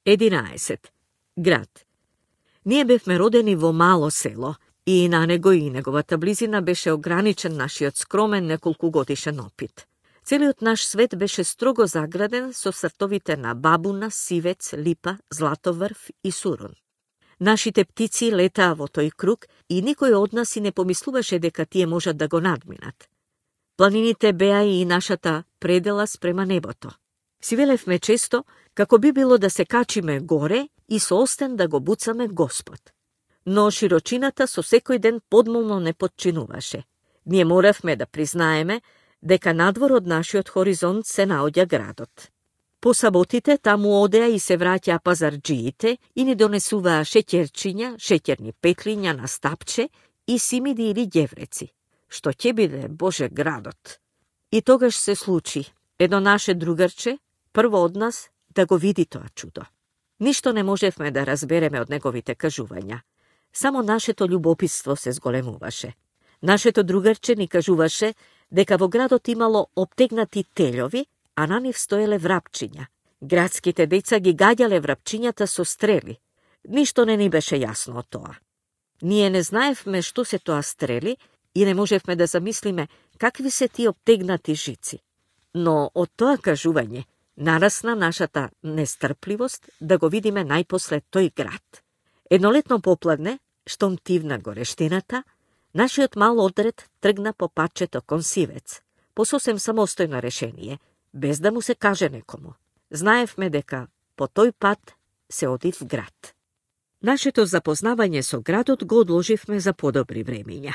11. Град. Ние бевме родени во мало село и на него и неговата близина беше ограничен нашиот скромен неколкугодишен опит. Целиот наш свет беше строго заграден со сртовите на бабуна, сивец, липа, златоврв и сурун. Нашите птици летаа во тој круг и никој од нас и не помислуваше дека тие можат да го надминат. Планините беа и нашата предела спрема небото. Си велевме често како би било да се качиме горе и со остен да го буцаме Господ. Но широчината со секој ден подмолно не подчинуваше. Ние моравме да признаеме дека надвор од нашиот хоризонт се наоѓа градот. По саботите таму одеа и се враќаа пазарџиите и ни донесуваа шеќерчиња, шеќерни петлиња на стапче и симиди или ѓевреци. Што ќе биде, Боже, градот? И тогаш се случи едно наше другарче, прво од нас, да го види тоа чудо. Ништо не можевме да разбереме од неговите кажувања. Само нашето љубопитство се зголемуваше. Нашето другарче ни кажуваше дека во градот имало обтегнати телјови, а на нив стоеле врапчиња. Градските деца ги гаѓале врапчињата со стрели. Ништо не ни беше јасно од тоа. Ние не знаевме што се тоа стрели и не можевме да замислиме какви се тие обтегнати жици. Но од тоа кажување нарасна нашата нестрпливост да го видиме најпосле тој град. Еднолетно попладне, штом тивна горештината, нашиот мал одред тргна по патчето кон Сивец, по сосем самостојно решение, без да му се каже некому. Знаевме дека по тој пат се оди в град. Нашето запознавање со градот го одложивме за подобри времиња.